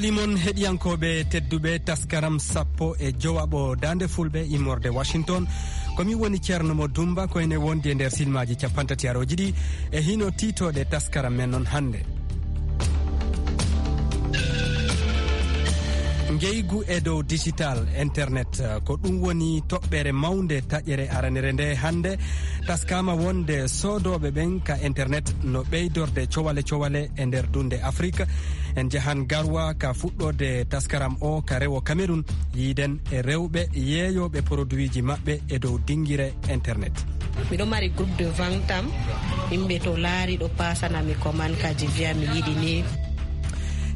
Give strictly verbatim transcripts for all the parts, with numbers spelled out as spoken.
Ɗimon heɗiyankooɓe tedduɓe, taskaram sappo e jowaɓo Daande Fulɓe immorde Washington. Ko mi woni Ceerno Mo Dumba, ko ene wondi e nder silmaaji cappantatirooji ɗi e hino tiitooɗe taskaram men non hannde. Ngeygu e dow digital, internet, ko ɗum woni toɓɓere mawnde taƴere aranere nde hannde. Taskaama wonde soodooɓe ɓen ka internet no ɓeydorde cowale cowale e nder dunde Afrik. En njahan Garwa ka fuɗɗoode taskaram o ka rewo Cameroun, yiiden e rewɓe yeeyooɓe produitji maɓɓe e dow dingire internet. Miɗo mari groupe de vente am, yimɓe to laari ɗo paasana mi commande kaji, viya mi yiɗi ni.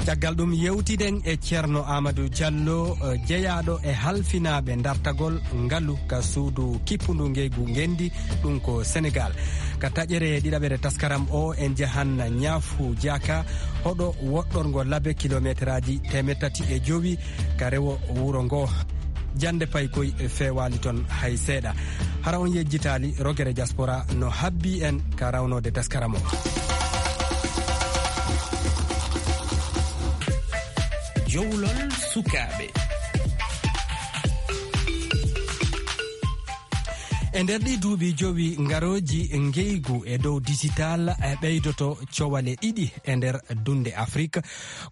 Caggal ɗum yewtiden e Ceerno Amadou Diallo, eh, jeyaaɗo e halfinaaɓe dartagol ngalu ka suudu kippundu ngeygu ngenndi, ɗum ko Senegal. Ka taƴere ɗiɗaɓere taskaram o, en njahan Ñaafu Jaaka, hoɗo woɗɗorngo laabi kilometeraaji teemeɗɗe tati e jowi ka rewo wuro ngo. Jannde paykoy feewaali ton hay seeɗa. Hara on yejjitaali, rogere diaspora no habbi en ka rawnoode taskaram o. Jowlol sukaaɓe. E nder ɗii duuɓi jowi ngarooji, ngeygu e dow digital e ɓeydoto cowale ɗiɗi e nder dunde Afrik.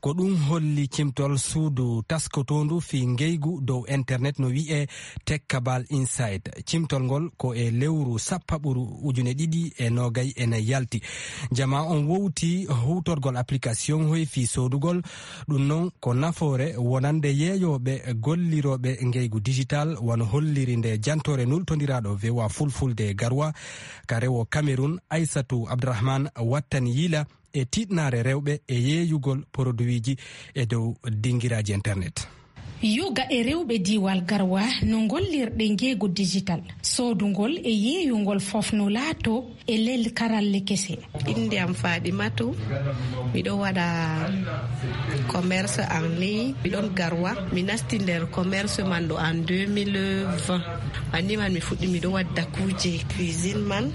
Ko ɗum holli cimtol suudu taskotoondu fii ngeygu dow internet no wi'ee Tech Cabal Insight. Cimtol ngol ko e lewru sappaɓuru ujune ɗiɗi e noogay e nayi yalti. Jamaa on wowti huutorgol application hoy fii soodugol. Ɗum non ko nafoore wonande yeeyooɓe gollirooɓe ngeygu digital, wano holliri nde jantoore nultondiraaɗo V O A Fulfulde Garwa ka rewo Cameroun, Aissatou Abdourahmane, wattani yila e tiiɗnaare rewɓe e yeeyugol produitji e dow dingiraaji internet. Yoga e rewɓe diiwal Garwa no ngollirɗe ngeegu digital, soodungol e yeeyungol fof no laato e lel karalle kese. Innde am Fadimatu, miɗo waɗa commerce en ligne, miɗon Garwa, mi nasti nder commerce man ɗo en deux mille vingt. Banni man mi fuɗɗi miɗo wadda kuuje cuisine man,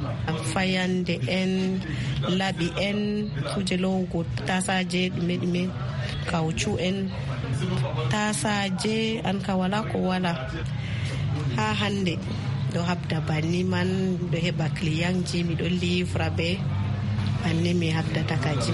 fayande en, laɓi en, kuuje lowugo tasaje, ɗume ɗume, kawcu en, tasaje, an ka wala ko wala. Haa hannde, ɗo habda banni man, ɗo heɓa clientji, miɗo livra ɓe, banni mi habdata kaji.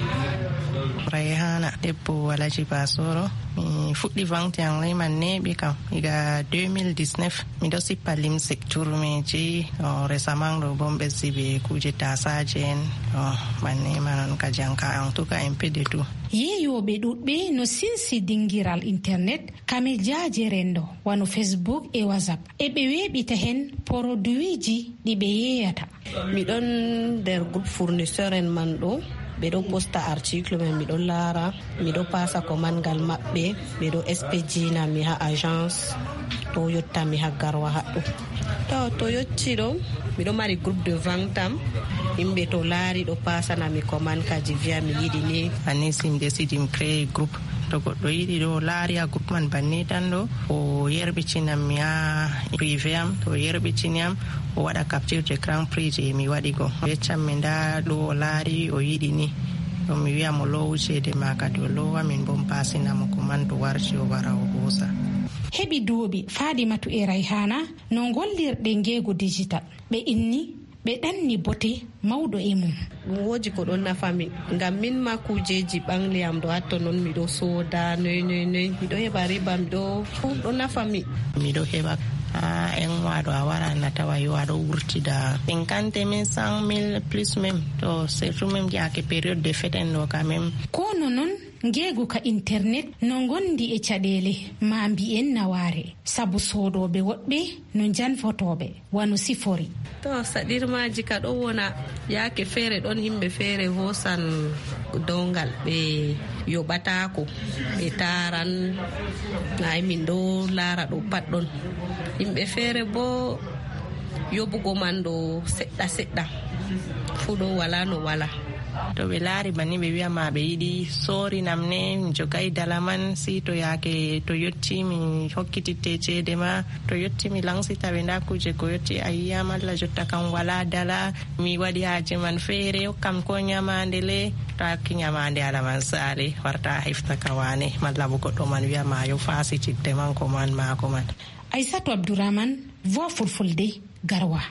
Rayhana, debbo Alhaji Basoro. Mi fuɗɗi vente en ligne man neeɓi kam, iga deux mille dix-neuf. Miɗo sippa limse, turmeji, o, récemment ɗo bo mi ɓesdi be kuuje tasaje en, o, banni man on ka janka, en tout cas, un peu de tout. Yeeyooɓe ɗuɗɓe no sinsi dingiral internet, ka mejaaje renndo, wano Facebook e WhatsApp. E ɓe weeɓita hen produitji ɗi ɓe yeeyata. Miɗon nder groupe fournisseur en man ɗo, ɓe ɗo posta article men, miɗo laara, miɗo pasa commande ngal maɓɓe, ɓe ɗo expedina mi ha agence, ɗo yotta mi ha Garwa haɗɗo. To, to yotti ɗo, miɗo mari groupe de vente am, yimɓe to laari ɗo pasana mi commande kaji viya mi yiɗi ni. Anis im décide im créé groupe. To goɗɗo yiɗi ɗo laari a groupe man banni tan ɗo, o yerɓitinam mi ha privé am, to o yerɓitini am, o waɗa capture d'écran prix je mi waɗi go. O yeccan mi nda ɗo o laari o yiɗi ni. Ɗum mi wiya mo loowu ceede ma kadi o loowa, min bo mi pasina mo ko man to warti o wara o hoosa. Heɓi duuɓi Fadimatu e Rayhana no ngollirɗe ngeego digital. Ɓe inni ɓe ɗanni bote mawɗo e mum. Ɗum woodi ko ɗon nafa mi, ngam min ma kuujeeji ɓangli am ɗo hatto non miɗo sooda, noy, noy, noy, miɗo heɓa riba, miɗo, ɗum ɗo nafa mi. Miɗo heɓa, ah, en waɗo a wara na tawa yo aɗo wurtida cinquante mille, cent mille plus même, to surtout même jaake période de fête en ɗo quand même. Kono non, ngeegu ka internet no ngondi e caɗeele, ma mbiyen nawaare, sabu soodooɓe woɗɓe no njanfotooɓe, wano sifori. To saɗirmaaji ka ɗo wona, yaake feere ɗon yimɓe feere hoosan downgal, ɓe yoɓataako, ɓe taaran, ay min ɗo laara ɗo pat ɗon. Yimɓe feere bo yoɓugo man ɗo seɗɗa seɗɗa, fuu ɗo wala no wala. To ɓe laari banni, ɓe wiya ma ɓe yiɗi soorinam ne, mi jogay dala man, si to yaake to yotti mi hokkititte ceede ma, to yotti mi laŋsita ɓe nda kuuje ko yotti a yiya malla jotta kam wala dala, mi waɗi haaje man feere, hokkam ko nyamaande le, to a hokki nyamaande ala man saale, warta a hefta ka waane, malla bo goɗɗo man wiya ma yo faasitidde man ko man ma ko man. Aysatu Abdourahmane, Voix Fulfulde, Garoua.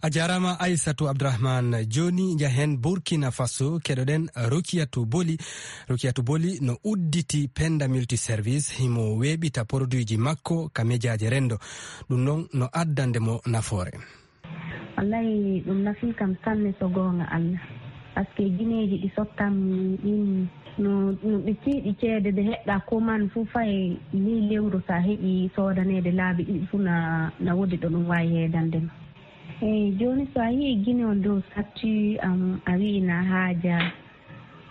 A jaaraama Aysatu Abdourahmane. Jooni njahen Burkina Faso, keɗoɗen Rukiyatu Boli. Rukiyatu Boli no udditi Penda Multiservice, himo weeɓita produitji makko ka mejaaje renndo. Ɗum noon no addande mo nafoore. Wallahi, ɗum nafii kam sanne, so goonga Allah. Parce que gineeji ɗi sottam ɗin, no, no ɗi tiiɗi ceede, ɓe heɓɗa commande fof, fay ley lewru, so a heɓi soodaneede laabi ɗiɗi fof, na, na woodi ɗo ɗum waawi heedande ma. Eey, jooni, so a yii Gine on dow statut am, a wi'i na haaja.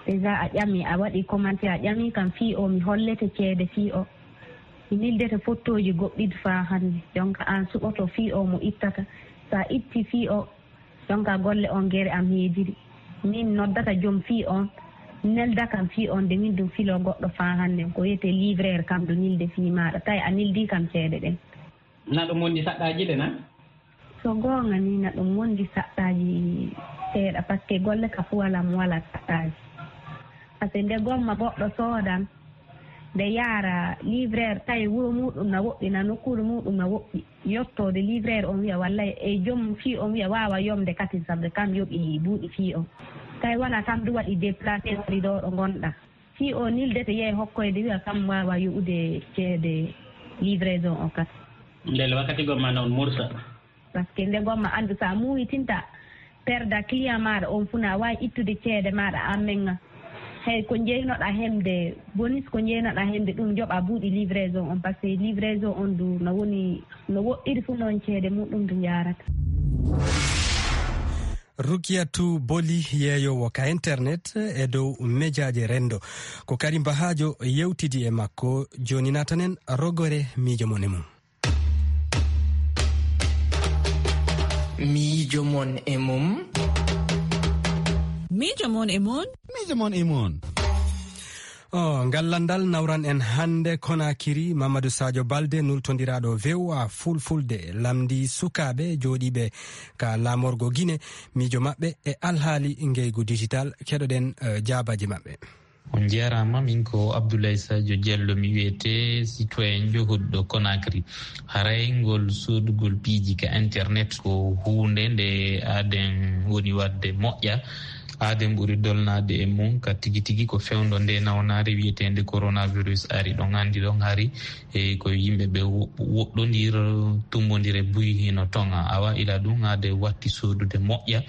Déjà a ƴami, a waɗi commentaire, a ƴami kam fii o, mi hollete ceede fii o. Mi nildete fottooji goɗɗiɗi faa hannde. Jonka aan suɓoto fii o mo ittata. So a itti fii o, jonka golle on gere am heediri. Min noddata jom fii on, nelda kam fii on, de min ɗum filo goɗɗo faa hannde. Ko wiyetee livreur kam ɗo nilde fii maaɗa. Tawi a nildi kam ceede ɗen. Na ɗum wondi saɗɗaaji de na? So goonga ni, na ɗum wondi saɗɗaaji seeɗa, parce que golle ka fuwalam wala saɗɗaaji. Parce que nde gomma goɗɗo soodan, nde yaara livreur, tawi wuro muɗum na woɗɗi, na nokkuure muɗum na woɗɗi. Yottoode livreur on wiya, wallay, e joom fii on wiya, waawa yomde katin, sabu kam yoɓi buuɗi fii on. Tawi wona kam du waɗi déplacé, wari ɗo ɗo ngonɗa. Fii o nildete, yehi hokkoyde, wiya kam waawa yoɓude ceede livraison o kat. Ndelle wakkati gomma noon mursa. Parce que nde gomma anndu, so a muuyitinta perda client maaɗa on fuu, na waawi ittude ceede maaɗa an menga. Hey, ko njeynoɗaa hemde bonus, ko njeynoɗaa hemde ɗum, joɓa buuɗi livraison on, parce que livraison on du no woni, no woɗɗiri fuu noon ceede muɗum du njaarata. Rukiyatu Boli, yeeyoowo ka internet e dow mejaaje renndo. Ko Karim Bahajo yewtidi e makko. Jooni naatanen rogore miijo mon e mum. Miijo mon e mum. Miijo mon e mum. Miijo mon e mum. O, ngal landal nawran en hannde Konakiri. Mamadou Sadio Balde, nultondiraaɗo V O A Fulfulde, lamndi sukaaɓe jooɗiiɓe ka laamorgo Gine, miijo maɓɓe e alhaali ngeygu digital. Keɗoɗen, eh, jaabaaji maɓɓe. On njeeraama, min ko Abdoulaye Sadio Diallo mi wiyetee, citoyen johuɗo Conakry. Haray ngol soodugol piiji ka internet ko huunde nde aaden woni waɗde moƴƴa. Aaden ɓuri dolnaade e mum ka tigi tigi ko fewndo nde nawnaare wiyeteende coronavirus ari. Ɗon anndi ɗon hari e ko yimɓe ɓe wo-, woɗɗondir, tumbondire buy hino toŋa. Awa ila ɗum aade watti soodude moƴƴa.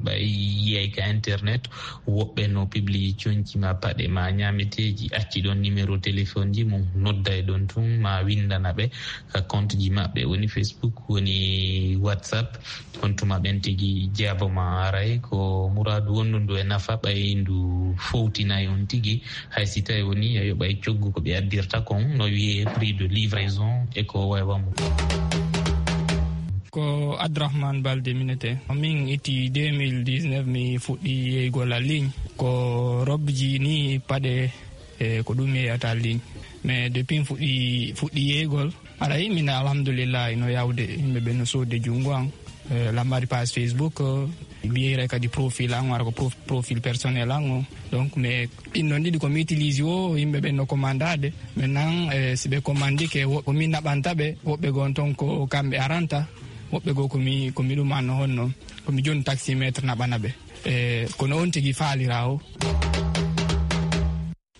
Ɓay yiyay ka internet, woɓɓe no publie conci ma paɗe ma ñaameteeji, acci ɗon numéro téléphone ji mum, nodday ɗon tun, ma windana ɓe ka compte ji maɓɓe, woni Facebook, woni WhatsApp. On tuma ɓen tigi jeabo ma aray, ko muraadu wonndu ndu e nafa, ɓay ndu fowtinay on tigi, hay si tawi woni a yoɓay coggu ko ɓe addirta kon, no wiyee prix de livraison e ko waywa mum. Ko Abdourahmane Balde minete. Min itti deux mille dix-neuf, mi fuɗɗi yeygol en ligne. Ko robji ni paɗe, e ko ɗum mi yeyata en ligne. Mais depuis mi fuɗɗi, fuɗɗi yeygol, aray min alhamdulillah ino yawde, yimɓe ɓe no soodde junngo an. E, lammari page Facebook, e, mi yeyray kadi profil an, wara ko prof-, profil personnel an o. Donc, mais ɗin non ɗiɗi ko mi utilise o, yimɓe ɓen no commandade. Maintenant, e, si ɓe commandike, wo-, ko min naɓanta ɓe, woɓɓe gon ton ko kamɓe aranta, woɓɓe goo ko mi, ko mi ɗum an honno, ko mi joni taximetre naɓana ɓe. E, kono on tigi faalira o.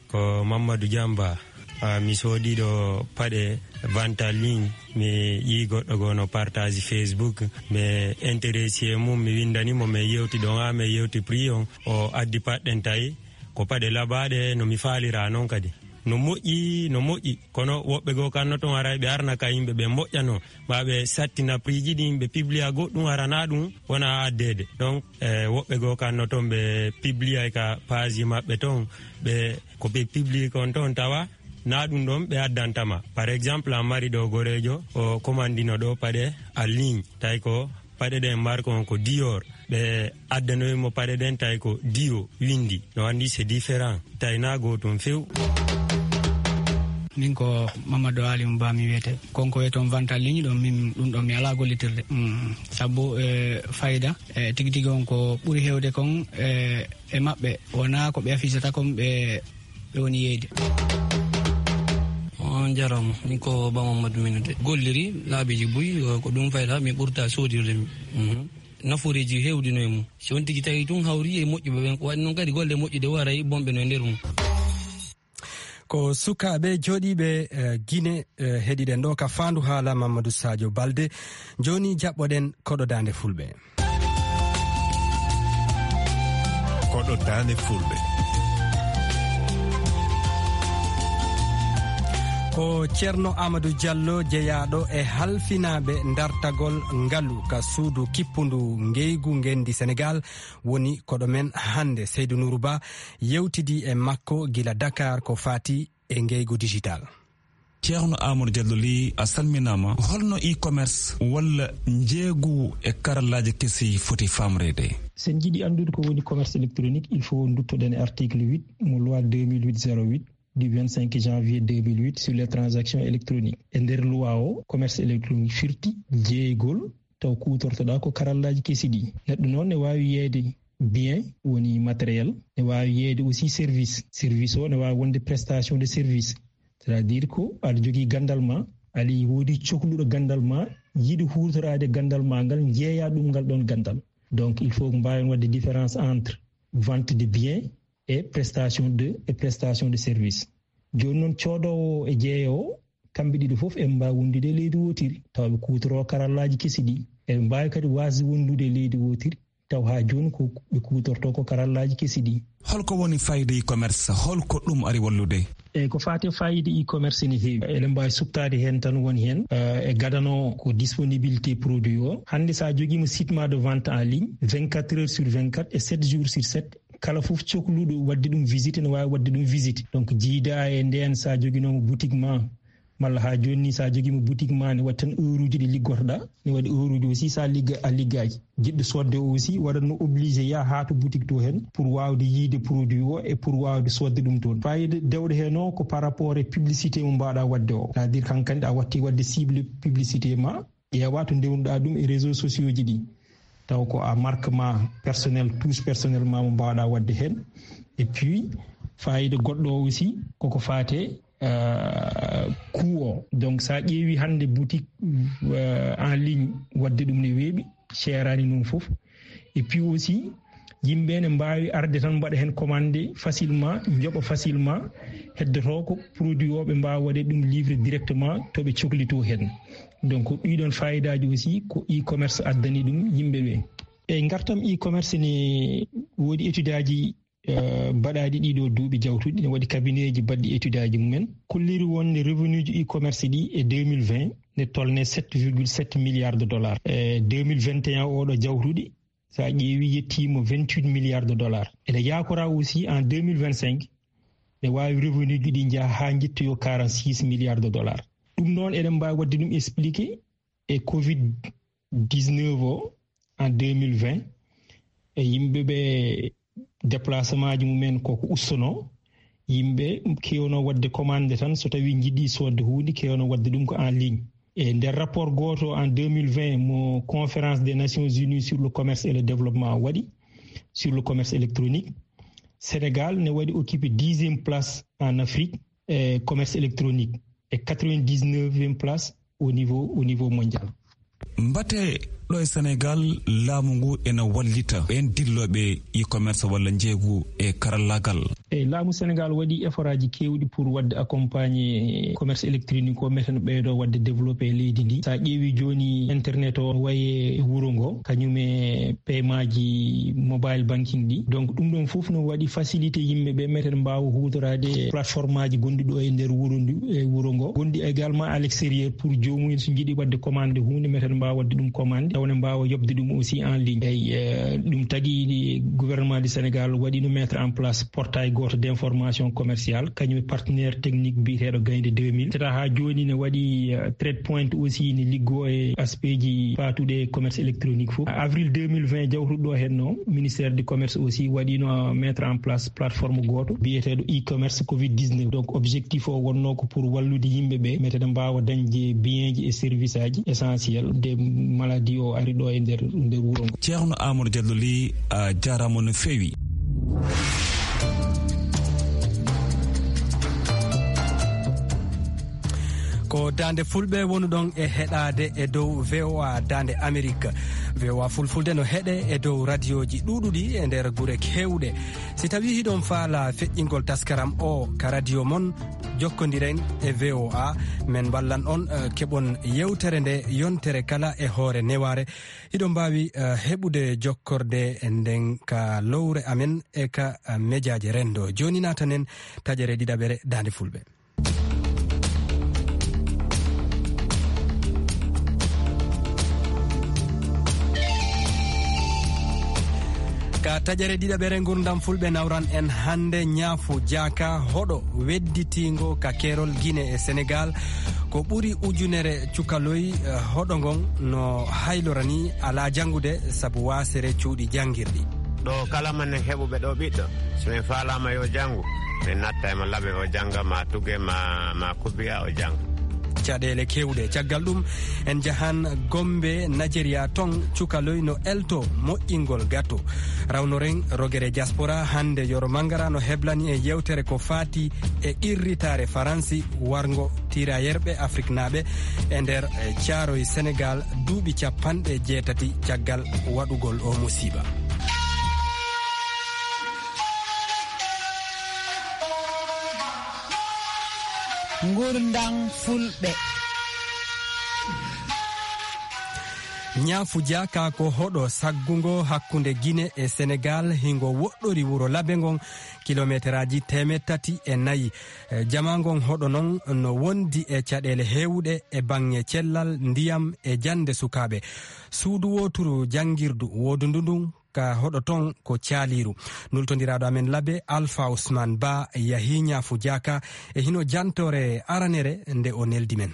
Ko Mamadou Diamba. Ah, mi soodi ɗo paɗe vente en ligne. Mi yii goɗɗo goo no partage Facebook. Mi intéressé e mum, mi windani mo, mi yewti ɗon, ah, mi yewti prix on. O addi paɗɗen tawi ko paɗe labaaɗe no mi faalira non kadi. No moƴƴi, no moƴƴi. Kono woɓɓe goo kan no ton aray ɓe arna ka yimɓe ɓe moƴƴano. Ɓa ɓe sattina prix ji ɗin, ɓe publia goɗɗum, arana ɗum, wona addeede. Donc, e, woɓɓe goo kan no ton ɓe publia ka page maɓɓe ton, ɓe, ko ɓe publie kon ton tawa na ɗum ɗon ɓe addanta ma. Par exemple, a mari ɗo goreejo, o commandino ɗo paɗe en ligne, tawi ko paɗe ɗen marque on ko Dior. Ɓe addanoyi mo paɗe ɗen, tawi ko diwo winndi. No anndi c'est différent, tawi na gootum few. Min ko Mamadou Aliou Ba mi wiyete. Kon ko wiyetoon vente en ligne ɗon, min ɗum ɗon mi alaa gollitirde. Mm. Sabu, eh, fayda, eh, tigi tigi on ko ɓuri heewde kon, eh, e maɓɓe wonaa ko ɓe afisata kon ɓe, ɓe woni yeyde. On jarama, min ko Ba Mamadou Minute. Golliri laabiiji buy, ko ɗum fayda mi ɓurta soodirde mi. Mhm. Nafooreeji heewɗi no e mum. Si on tigi tawi tun hawri e moƴƴuɓe ɓen, ko waɗi noon kadi golle moƴƴude waray bonɓe no e nder mum. Ko sukaaɓe jooɗiiɓe, eh, Gine, eh, heɗiɗen ɗo ka Faandu Haala Mamadou Sadio Balde. Jooni jaɓɓoɗen koɗo daande Fulɓe. Koɗo daande Fulɓe. Ko Ceerno Amadou Diallo, jeyaaɗo e halfinaaɓe dartagol ngalu ka suudu kippundu ngeygu ngenndi Senegaal, woni koɗo men hannde. Seydou Nourou Ba yewtidi e makko gila Dakar ko faati e ngeygu digital. Ceerno Amadou Diallo Ly, a salminaama. Holno e-commerce walla njeeygu e karallaaji kesi foti faamreede? Sen njiɗi anndude ko woni commerce électronique, il faut nduttoɗen e article huit mo loi deux mille huit zéro huit du vingt-cinq janvier deux mille huit sur les transactions électroniques. E nder loi o, commerce électronique firti jeeygol taw kuutortoɗaa ko karallaaji kesi ɗi. Neɗɗo noon ne waawi yeeyde bien, woni matériel, ne waawi yeeyde aussi service. Service o ne waawi wonde prestation de service. C'est-à-dire ko aɗa jogii ganndal ma, aɗa woodi cokluɗo ganndal ma, yiɗi huutoraade ganndal ma ngal, njeeya ɗum ngal ɗon ganndal. Donc, il faut ko mbaawen waɗde différence entre vente de biens et prestation de, et prestation de service. Jooni noon, coodoowo e jeeyoowo, kamɓe ɗiɗo fof eɓe mbaawi wondude e leydi wootiri, tawa ɓe kuutoroo karallaaji kesi ɗi. Eɓe mbaawi kadi waasde wondude e leydi wootiri, taw haa jooni ko ɓe kuutortoo ko karallaaji kesi ɗi. Holko woni fayida e-commerce? Holko ɗum ari wallude? Eyi, ko faati e fayida e-commerce ne heewi. Eɗen mbaawi suɓtaade heen tan woni heen, eh, e gadano ko disponibilité produit o. Hannde so a jogiima site ma de vente en ligne, vingt-quatre heures sur vingt-quatre et sept jours sur sept, kala fof cokluɗo waɗde ɗum visite ne waawi waɗde ɗum visite. Donc, jiida e ndeen, so a joginooma boutique ma, malla haa jooni ni, so a jogiima boutique ma, ne waɗi tan heure uji ɗi liggotoɗaa, ne waɗi heure uji aussi so a ligga-, a liggaaki. Jiɗɗo soodde o aussi waɗatno obligé yaha haa to boutique to heen pour waawde yiide produit o e pour waawde soodde ɗum toon. Fayida dewɗo heen o ko par rapport e publicité mo mbaawɗaa waɗde o. C'est-à-dire, kankandi a watti waɗde cible publicité ma, ƴeewa to ndewnuɗaa ɗum e réseaux sociaux ji ɗi. Taw ko a marque ma personnel, touche personnel ma mo mbaawɗaa waɗde heen. Et puis, fayida goɗɗo o aussi, koko faate, euh, coût o. Donc, so a ƴeewi hannde boutique, euh, en ligne, waɗde ɗum ne weeɓi, seeraani noon fof. Et puis aussi, yimɓe ne mbaawi arde tan mbaɗa heen commande facilement, njoɓa facilement, heddotoo ko produit o ɓe mbaawa waɗde ɗum livrer directement to ɓe coklitoo heen. Donc, ɗiɗon fayidaaji aussi ko e-commerce addani ɗum yimɓe ɓe. E ngartam e-commerce ne woodi étude aji, eh, mbaɗaaɗi ɗiɗo duuɓi jawtuɗi, ne waɗi cabinet ji baɗɗi étude aji mumen. Kolliri wonde revenu ji e-commerce ɗi e deux mille vingt ne tolne sept virgule sept milliards de dollars. E deux mille vingt et un oɗo jawtuɗi, so a ƴeewi, yettiima vingt-huit milliards de dollars. Ene yaakora aussi en deux mille vingt-cinq, ne waawi revenu ji ɗi njaha haa njettoyo quarante-six milliards de dollars. Ɗum noon, eɗen mbaawi waɗde ɗum expliqué e covid dix-neuf o en deux mille vingt, e yimɓe ɓe déplacement ji mumen koko ustono, yimɓe kewno waɗde commande tan, so tawi njiɗi soodde huunde, kewno waɗde ɗum ko en ligne. E nder rapport gooto en deux mille vingt mo Conférence des Nations Unies sur le commerce et le développement waɗi, sur le commerce électronique, Sénégal ne waɗi occupé dixième place en Afrique e commerce électronique, e quatre-vingt-dix-neuvième place au niveau, au niveau mondial. Mbate ɗo e Sénégal, laamu ngu ene wallita ɓeen dillooɓe e-commerce walla njeeygu e karallaagal? E laamu Sénégal waɗi effort aji keewɗi pour waɗde accompagner commerce électronique o, meten ɓeydo waɗde développé e leydi ndi. So a ƴeewi jooni, internet o wayi e wuro ngo, kañum e paiement ji mobile banking ɗi. Donc, ɗum ɗon fof no waɗi facilité yimɓe ɓe meten mbaawa huutoraade plateforme aji gonɗi ɗo e nder wuro ndu, e wuro ngo. Gonɗi également à l'extérieur pour joomum en so njiɗi waɗde commande huunde, meten mbaawa waɗde ɗum commande, tawa ne mbaawa yoɓde ɗum aussi en ligne. Eyi, eh, ɗum tagi gouvernement du Sénégal waɗino mettre en place portail gooto d'information commerciale, kañum e partenaire technique biyeteeɗo Gaynde deux mille. Tata haa jooni ne waɗi, eh, trade point aussi ne liggo e aspeji paatuɗe e commerce électronique fof. Avril deux mille vingt jawtuɗo ɗo henno, ministère du commerce aussi waɗino, eh, mettre en place plateforme gooto biyeteeɗo e-commerce covid dix-neuf. Donc, objectif o wonno ko pour wallude yimɓe ɓe, metede mbaawa dañde bienji e service aji essentiel de maladie o ari ɗo e nder, nder wuro ngo. Ceerno Amadou Diallo Ly, a jaaraama no feewi. Ko Daande Fulɓe wonuɗon e heɗaade e dow V O A Daande Amerik. V O A Fulfulde no heɗe e dow radioji ɗuuɗuɗi e nder gure keewɗe. Si tawii hiɗon faala feƴƴingol taskaram o ka radio mon, jokkondiren e V O A. Men wallan on, eh, keɓon yewtere nde yontere kala e hoore newaare. Hiɗon mbaawi, eh, heɓude jokkorde nden ka lowre amen e ka, eh, mejaaje renndo. Jooni naatanen taƴere ɗiɗaɓere Daande Fulɓe. Ka taƴere ɗiɗaɓere Ngurndan Fulɓe nawran en hannde ñaafu jaaka hoɗo wedditiingo ka keerol Gine e Senegaal. Ko ɓuri ujunere cukaloy, eh, hoɗo ngon no haylorani alaa janngude sabu waasere cuuɗi janngirɗi. Ɗo kala manen heɓuɓe ɗo ɓiɗɗo, si min faalaama yo janngu, min natta e mo laɓe o jannga, ma tuge, ma, ma kubiya o jannga. Caɗeele keewɗe. Caggal ɗum, en njahan Gombe, Nigeria, ton cukaloy no elto moƴƴingol gato. Rawnoren rogere diaspora, hannde Yoro Mangara no heblani e yewtere ko faati e qirritaare Faransi warngo tiirayerɓe Afriknaaɓe e nder, eh, Caaroy Senegaal duuɓi capanɗe jeetati caggal waɗugol o musiba. Ngurndan Fulɓe. Ñaafu jaaka ko hoɗo saggungo hakkunde Gine e Senegaal, hingo woɗɗori wuro Labe ngon, kilometeraaji teemeɗɗe tati e nayi. Eh, jama ngon hoɗo non no wondi e caɗeele heewuɗe e baŋŋe cellal, ndiyam e jannde sukaaɓe. Suudu wooturu janngirdu woodundu ndun ka hoɗo ton ko caaliiru. Nultondiraaɗo amen Labe, Alpha Ousmane Ba, yahii ñaafu jaaka e hino jantoore aranere nde o neldi men.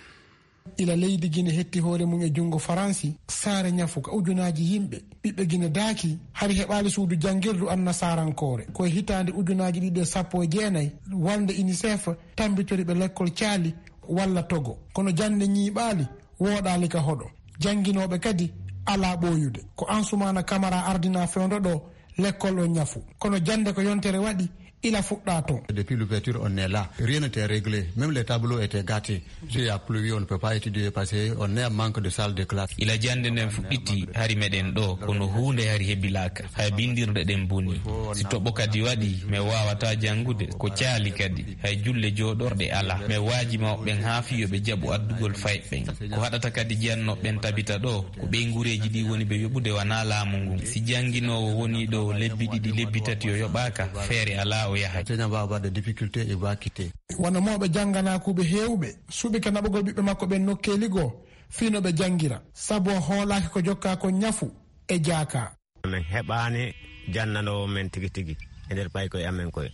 Ila leydi Gine hetti hoore mum e junngo Faransi, saare ñafu ka ujunaaji yimɓe, ɓiɓɓe Gine daaki, hari heɓaali suudu janngirdu annasarankoore. Ko e hitaande ujunaaji ɗiɗi e sappo e jeenayi, walnde UNICEF tambitori ɓe lekkol caali walla Togo. Kono jannde ñiiɓaali, wooɗaali ka hoɗo. Jannginooɓe kadi alaa ɓooyude. Ko Ansumaana Kamara ardinaa fewndo ɗo lekkol on ñafu. Kono jannde ko yontere waɗi, ila fuɗɗaa ton. Depuis l'ouverture, on est là. Rien n'était réglé. Même les tableaux étaient gâtés. S'il y a pluie, on ne peut pas étudier parce qu'on est en manque de salle de classe. Ila jannde nden fuɗɗiti, hari meɗen ɗo, kono huunde hari hebilaaka. Hay binndirɗe ɗen boni. Si toɓo kadi waɗi, mi waawataa janngude. Ko caali kadi. Hay julle jooɗorɗe alaa. Mi waaji mawɓe ɓen haa fii yo ɓe jaɓu addugol fayɓe ɓen. Ko haɗata kadi jiyannooɓe ɓen tabita ɗo, ko ɓeynguureeji ɗi woni ɓe yoɓude, wanaa laamu ngun. Si jannginoowo wonii ɗo lebbi ɗiɗi, lebbi tati o yoɓaaka, feere alaa o yahay. Enseignant va avoir des difficultés, il va quitter. Wano mawɓe jannganakuuɓe heewɓe suɓike naɓugol ɓiɓɓe makko ɓen nokkeeli goo fii no ɓe janngira, sabu o hoolaaki ko jokkaa kon ñafu e jaaka. Min heɓaani jannanoowo men tigi tigi e nder paykoye amen koye.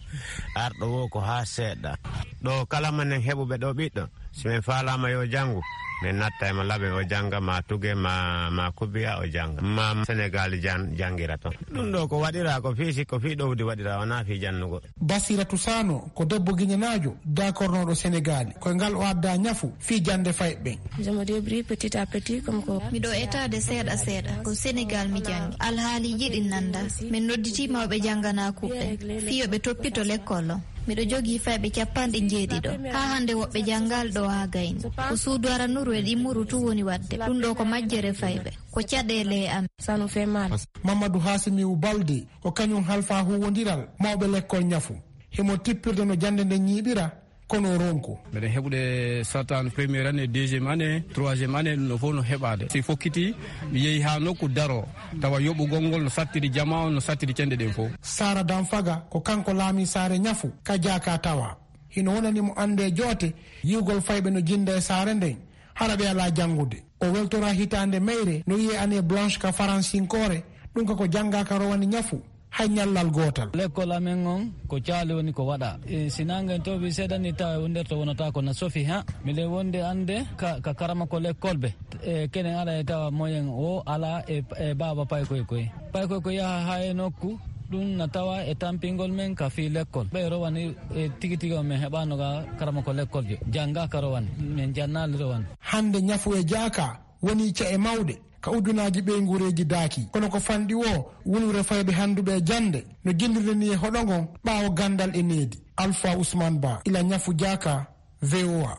Arɗo woo ko haa seeɗa. Ɗo kala manen heɓuɓe ɗo ɓiɗɗo, si min faalaama yo janngu, min natta e mo laɓe o jannga, ma tuge, ma, ma kubiya o jannga, ma Senegaal jan-, janngira ton. Ɗum ɗo ko waɗiraa ko fii si-, ko fii ɗowdi waɗiraa, wonaa fii jannugol. Basiratu Sano ko debbo ginenaajo daakornooɗo Senegaali. Ko e ngal o addaa ñafu fii jannde fayɓe ɓen. Je me débrouille petit à petit, comme ko. Miɗo etaade seeɗa seeɗa. Ko Senegaal mi janngi. Alhaaliiji ɗin nanndaa. Min nodditii mawɓe jannganaakuuɓe ɓen fii yo ɓe toppito lekkol on. Miɗo jogii fayɓe capanɗe njeeɗiɗo. Haa hannde woɓɓe janngaali ɗo haa gayni. Ko suudu aranuru e ɗimmuru tun woni waɗde. Ɗum ɗoo ko majjere fayɓe. Ko caɗeele e amen. Ça nous fait mal. Mamadou Hassimiou Baldé ko kañum halfaa huuwondiral mawɓe lekkol ñafu. Himo tippirde no jannde nden ñiiɓira, kono o ronku. Meɗen heɓude sartaan première année, deuxième année, troisième année, ɗum ɗo fof no heɓaade. Si fokkiti, mi yehi haa nokku daro, tawa yoɓugol ngol no sattiri jamaa on, no sattiri cenɗe ɗen fof. Sara Danfaga ko kanko laamii saare ñafu ka jaaka tawa. ina wonani mo annde joote, yi'ugol fayɓe no jinnda e saare nden, hara ɓe alaa janngude. O weltora hitaande meyre, no wi'ee année blanche ka faransinkoore, ɗum ka ko janngaaka rowani ñafu, hay ñallal gootal. Lekkol amen on, ko caali woni ko waɗa. E, si naange tooɓi seeɗa ni, tawa e wonderto wonata ko na sofi, ha? Miɗen wondi annde ka, ka karama ko lekkol ɓe. E, kenen ala e tawa moyen o ala e, e baaba paykoy koy. Paykoy ko yaha ha e nokku, ɗum na tawa e tampingol men ka fii lekkol. Ɓe rowani, e, tigi tigi on men heɓano ga karama ko lekkol jo. Jannga ka rowani, men jannaali rowani. Hannde ñafu e jaaka woni ca'e mawɗe ka uddunaaji ɓeynguureeji daaki. Kono ko fanɗi woo, wulure fayɓe hannduɓe e jannde no jinndude ni e hoɗo ngon ɓaawo ganndal e needi. Alpha Ousmane Ba, ila ñafu jaaka, V O A.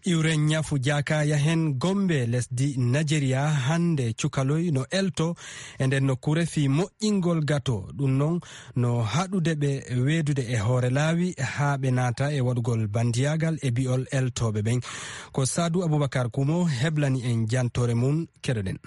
Iwren ñafu jaaka yahen Gombe, lesdi Nigeria, hannde cukaloy no elto e nden nokkuure fii moƴƴingol gato. Ɗum non no haɗude ɓe weedude e hoore laawi haa ɓe naata e waɗugol bandiyaagal e bi'ol eltooɓe ɓen. Ko Saadu Abubakar Kumo heblani en jantoore mum, keɗoɗen.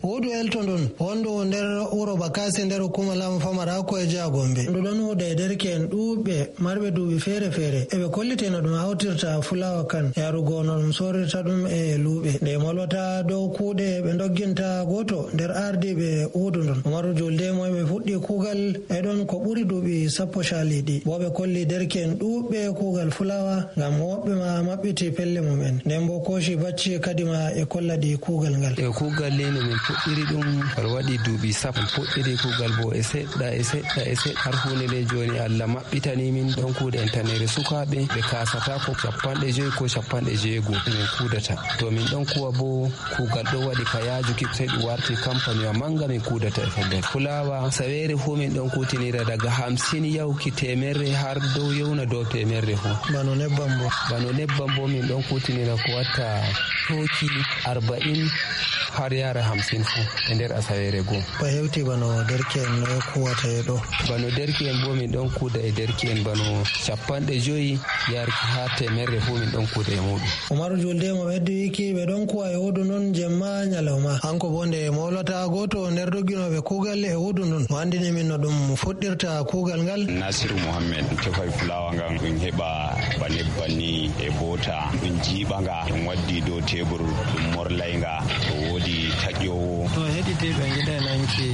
Woodu elto ndon, wondu nder wuro Bakasi nder hukuma laamu famara ko e Jaa Gombe. Ndu ɗon huuda e derke'en ɗuuɓɓe marɓe duuɓi feere-feere. Eɓe kolliteno ɗum hawtirta fulawa kan, yarugo no ɗum sorirta ɗum e luuɓe. Nde molwata dow kuuɗe ɓe ndogginta gooto nder ardiiɓe woodu ndon. Umaru Julde mo ɓe fuɗɗi kuugal e ɗon ko ɓuri duuɓi sappo caaliiɗi. Bo ɓe kolli derke'en ɗuuɓɓe kuugal fulawa ngam woɓɓe ma maɓɓiti pelle mum en. Nden bo kooci bacci kadima e kolla ɗi kuugal ngal. E kuugal ni no min puɗɗiri ɗum, aɗa waɗi duuɓi sappo. Min puɗɗiri kuugal bo e seɗɗa, e seɗɗa, e seɗɗa. Har huunde nde jooni Allah maɓɓitani min ɗon kuuɗe en tanere sukaaɓe ɓe kaasata ko capanɗe joyi ko capanɗe jeego min kuudata. To min ɗon kuwa bo kuugal ɗo waɗi ka yaajuki, sey ɗum warti kampaniwa manga min kuudata e fellere. Fulawa saweere fuu min ɗon kuutinira daga hamsin yawki teemerre har dow yewna dow teemerre fuu. Bano nebbam bo? Bano nebbam bo min ɗon kuutinira ko watta tooki arba'in har yaara hamsin fuu e nder asaweere goo. Ko hewti bano derke'en noye kuwata e ɗo? Bano derke'en bo min ɗon kuuda e derke'en bano capanɗe joyi yarki haa teemerre fuu min ɗon kuuda e muuɗum. Umaru Julde mo ɓeddi wiiki ɓe ɗon kuwa e woodu ndun jemma ñalawma. Hanko bo nde mowlata gooto nder dogginooɓe kuugal e woodu ndun, o anndini min no ɗum fuɗɗirta kuugal ngal. Nasiru Mohammed, tefay fulawa ngan ɗum heɓa ba nebban ni e boota, ɗum jiiɓa nga, ɗum waddi dow tebur, ɗum morlay nga, to woodi taƴoowo. To heɗitiiɓe ngiɗay nanki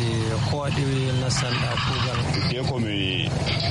ko waɗi nasanɗa kuugal ngal. Hidde ko mi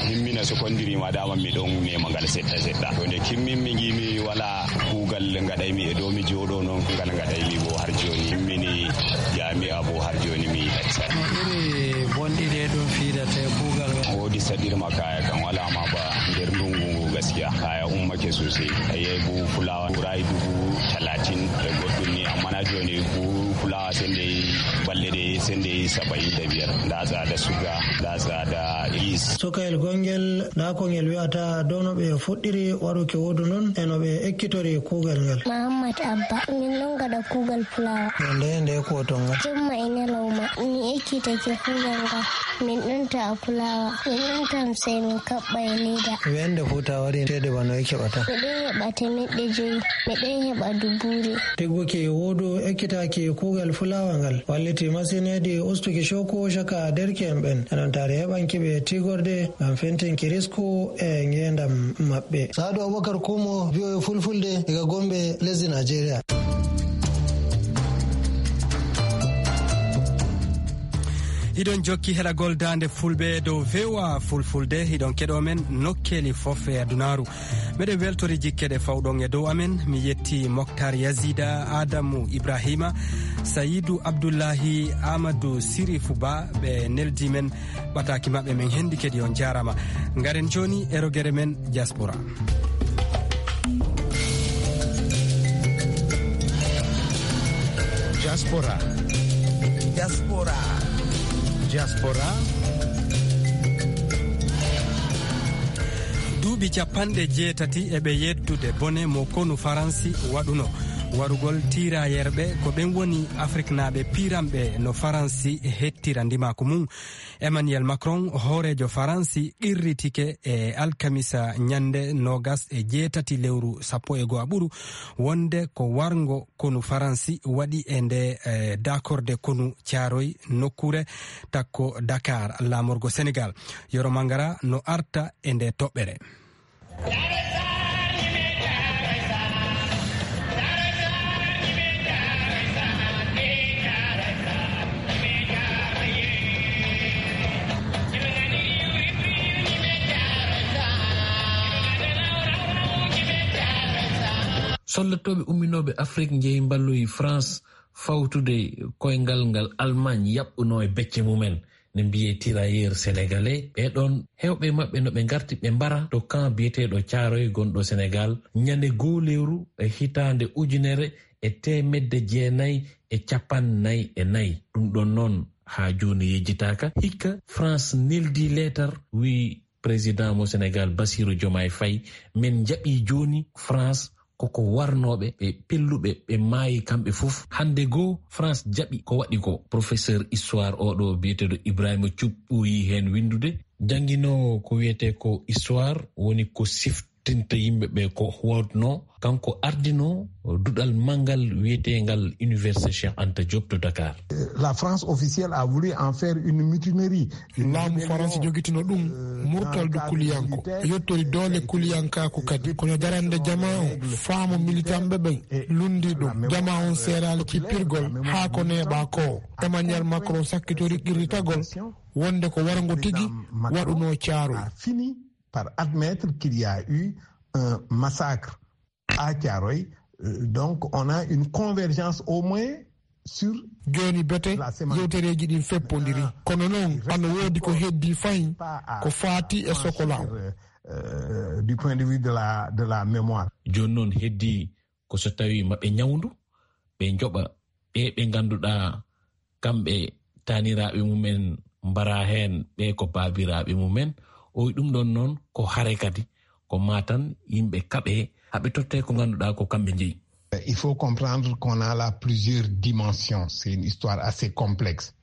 himmina sekondiri ma dama mi ɗon mema ngal seɗɗa seɗɗa. To nde kimmin mi ngi mi wala kuugal ngaɗaymi e dow mi jooɗo non ngal ngaɗaymi bo har jooni. Himmini jami'a bo har jooni mi accay. No iri bonɗi ɗe ɗum fiidata e kuugal ngal? Woodi saɗirma kaya kan wala ma ba nder ndungu ngu gaskiya. Kaya ummake sosai. A yahi buhu fulawa ɓurayi dubu talatin e goɗɗum ni, amma na jooni buhu fulawa sendei balɗe ɗe sendei saba'in da biyar. Nda tsada suga, nda tsada yis. Sukayel gongel, nda ko ngel wi'ata dow no ɓe fuɗɗiri waɗuki woodu ndun e no ɓe ekkitori kuugal ngal. Muhammad Abba, min ɗon gaɗa kuugal fulawa. Nde nde ko ton ngal? Jemma e ñalawma, mi ekkitake kuugal ngal. Min ɗon ta'a fulawa, min ɗon tamsay min kaɓɓa e leda. Wende fuu ta wari ceede bano e keɓata? Mi ɗon heɓa temeɗɗe joyi, mi ɗon heɓa dubuure. Tigguki woodu ekkitaki kuugal fulawa ngal walliti masin hedi ustuki cooku caka derke'en ɓen. E non taari heɓanki ɓe tigorde ngam fentinki risku e ngeendam maɓɓe. Saadu Abubakar Kumo, V O A Fulfulde, daga Gombe, lesdi Najeriya. Hiɗon jokki heɗagol Daande Fulɓe dow V O A Fulfulde. Hiɗon keɗo men nokkeeli fof e adunaaru. Meɗen weltori jikke ɗe fawɗon e dow amen. Mi yetti Moktar Yazida, Adamu Ibrahima, Sayidu Abdullahi, Amadou Sirifu Ba, ɓe neldi men ɓataaki maɓɓe, men hendi kadi. On jaarama. Ngaren jooni e rogere men diaspora. Diaspora. Diaspora. Diaspora. Duuɓi capanɗe jeetati e ɓe yeddude bone mo konu Faransi waɗuno. Warugol tiirayerɓe ko ɓen woni Afriknaaɓe piiranɓe no Faransi hettira ndimaaku mum. Emmanuel Macron, hooreejo Faransi, qirritike e alkamisa ñannde noogas e jeetati lewru sappo e go'aɓuru wonde ko warngo konu Faransi waɗi e nde, eh, dakorde konu Caaroy, nokkuure takko Dakar, laamorgo Senegal. Yoro Mangara no arta e nde toɓɓere. Lattooɓe umminooɓe Afrik njehi mballoyi France fawtude koyngal ngal Allemagne yaɓɓunoo e becce mumen, ne mbiyee tirailleurs sénégalais. Ɓee ɗoon, heewɓe maɓɓe no ɓe ngarti ɓe mbara to camp biyeteeɗo Caaroy gonɗo Sénégal, ñande goo lewru e hitaande ujunere e teemedde jeenayi e cappanɗe nayi e nayi. Ɗum ɗoon noon, haa jooni yejjitaaka. Hikka, France neldi leetar, wiyi président mo Sénégal, Bassirou Diomaye Faye, men njaɓi jooni France koko warnooɓe, ɓe pelluɓe, ɓe maayi kamɓe fof. Hannde goo, France jaɓi ko waɗi ko. Professeur histoire oɗo biyeteeɗo Ibrahima Thioub ɓooyi heen winndude. Jannginoowo ko wiyetee ko histoire, woni ko siftinta yimɓe ɓe ko waɗnoo. Kanko ardinoo duɗal manngal wiyeteengal Université Cheikh Anta Diop to Dakar. La France officielle a voulu en faire une mutinerie. Laamu Faransi jogitino ɗum murtal du kuliyanko. Yottori doole kuliyankaaku kadi. Kono darande jamaa o, faamu militanɓe ɓen lundi ɗum. Jamaa on seeraali cippirgol haa ko neeɓaa ko. Emmanuel Macron sakkitori qirritagol wonde ko warngo tigi waɗunoo Caaroy. A fini par admettre qu'il y a eu un massacre à Thiaroye. Euh, donc, on a une convergence au moins sur. Jooni bete yewtereeji ɗin feppondiri. Kono noon, ano woodi ko heddii fahin ko faati e sokolaaw. Euh, du point de vue de la, de la mémoire. Jooni noon heddii ko so tawii maɓe ñawndu, ɓe njoɓa ɓe ɓe ngannduɗaa kamɓe taaniraaɓe mumen mbaraa heen, ɓe ko baabiraaɓe mumen. O wiyi ɗum ɗoon noon ko hare kadi, ko maa tan yimɓe kaɓee, haɓe tottee ko ngannduɗaa ko kamɓe njeyi. Il faut comprendre qu'on a là plusieurs dimensions. C'est une histoire assez complexe.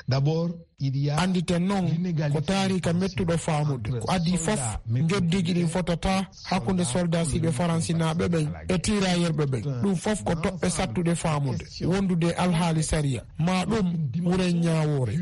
D'abord, il y a. Annditen noon, ko taariika mettuɗo faamude. Ko adii fof, njoddiiji ɗin fotataa hakkunde soldaasiiɓe faransinaaɓe ɓen e tiiraayerɓe ɓen. Ɗum fof ko toɓɓe sattuɗe faamude, wondude e alhaali sariya. Maa ɗum wuren ñaawoore.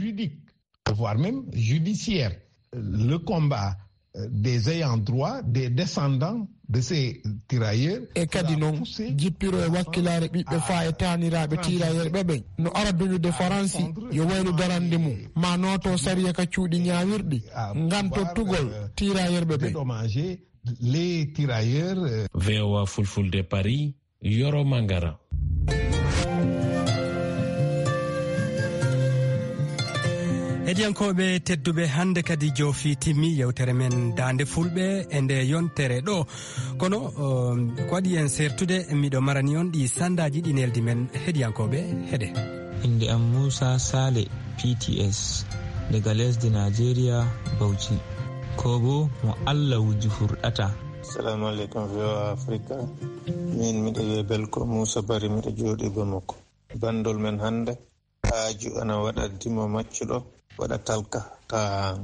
Voire même judiciaire. Le combat, euh, des ayants droit, des descendants de ces tirailleurs. E kadi noon, jippiro e wakkilaare ɓiɓɓe faa e taaniraaɓe tiiraayerɓe ɓen no ara duñude Faransi yo waylu darande mum, maa nooto sariya ka cuuɗi ñaawirɗi, ngam tottugol tiiraayerɓe ɓen. Dédommager les tirailleurs, euh. V O A Fulfulde Paris, Yoro Mangara. Heɗiyankooɓe tedduɓe, hannde kadi joofi timmi yewtere men Daande Fulɓe e nde yontere ɗo. Kono, um, ko waɗi en sertude, miɗo marani on ɗi sandaaji ɗi neldi men. Heɗiyankooɓe, heɗe. Innde am Muusa Saale, P T S, daga lesdi Najeriya, Bauchi. Ko bo mo Allah wuji furɗata. Assalamu alaikum, V O A Africa. Min miɗo wiye Belko Musa Bari, miɗo jooɗi Bamako. Bandol men hannde, haaju ana waɗa dimo maccuɗo, waɗa talka, ta.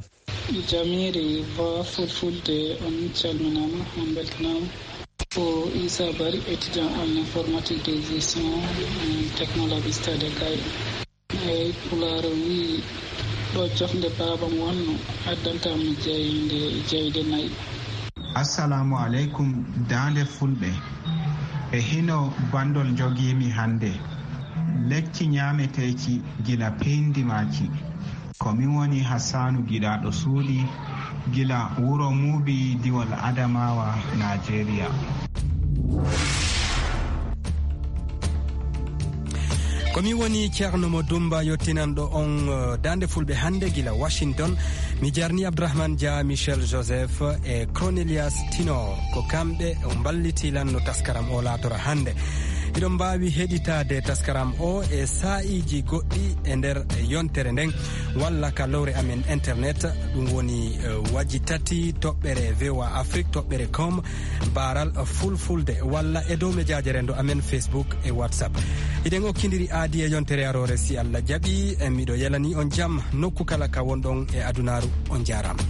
Jamiiri V O A Fulfulde, on calminaama, on mbeltanaama. Ko Issa Bari, étudiant en informatique et gestion, euh, technologie stade Kay. Eey, Pulaar o wiyi, ɗo jofnde baabam wonno, addantaa mi jayde, jayde nayi. Assalamu aleykum, Daande Fulɓe. E hino bandol njogiimi hannde. Lekki ñaameteeki gila peyndi maaki. Ko min woni Hassanu Giɗaaɗo Suuɗi, gila wuro Muubi, diwol Adamawa, Najeriya. Ko mi woni Ceerno Mo Dumba, yottinanɗo on, eh, Daande Fulɓe hannde gila Washington. Mi jarni Abdourahmane Dia, Michel Joseph e Cornelius Tino. Ko kamɓe mballiti lan no taskaram o laatora hannde. Hiɗon mbaawi heɗitaade taskaram o e saa'iiji goɗɗi e nder yontere nden, walla ka lowre amen internet, ɗum woni, eh, waji tati toɓɓere V O A Afrique toɓɓere com, baaral Fulfulde, walla e dow mejaaje renndo amen Facebook e WhatsApp. Hiɗen okkindiri aadi e yontere aroore, si Allah jaɓi. E miɗo yelani on jam nokku kala ka wonɗon e adunaaru. On jaaraama.